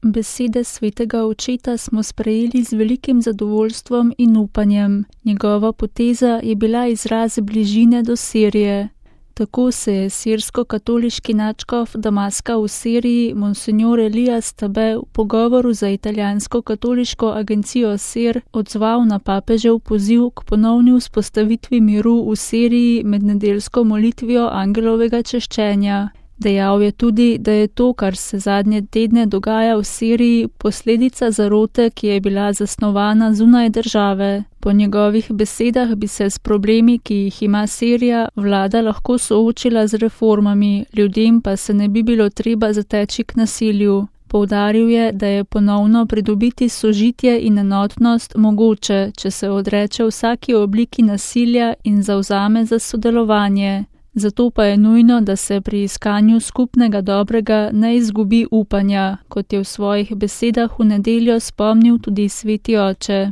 Besede svetega očeta smo sprejeli z velikim zadovoljstvom in upanjem. Njegova poteza je bila izraz bližine do Sirije. Tako se je sirsko-katoliški nadškof Damaska v Siriji, monsignor Elias Tabe, v pogovoru za italijansko katoliško agencijo SIR odzval na papežev poziv k ponovni vzpostavitvi miru v Siriji med nedeljsko molitvijo angelovega češčenja. Dejal je tudi, da je to, kar se zadnje tedne dogaja v Siriji, posledica zarote, ki je bila zasnovana zunaj države. Po njegovih besedah bi se s problemi, ki jih ima Sirija, vlada lahko soočila z reformami, ljudem pa se ne bi bilo treba zateči k nasilju. Poudaril je, da je ponovno pridobiti sožitje in enotnost mogoče, če se odreče vsaki obliki nasilja in zavzame za sodelovanje. Zato pa je nujno, da se pri iskanju skupnega dobrega ne izgubi upanja, kot je v svojih besedah v nedeljo spomnil tudi sveti oče.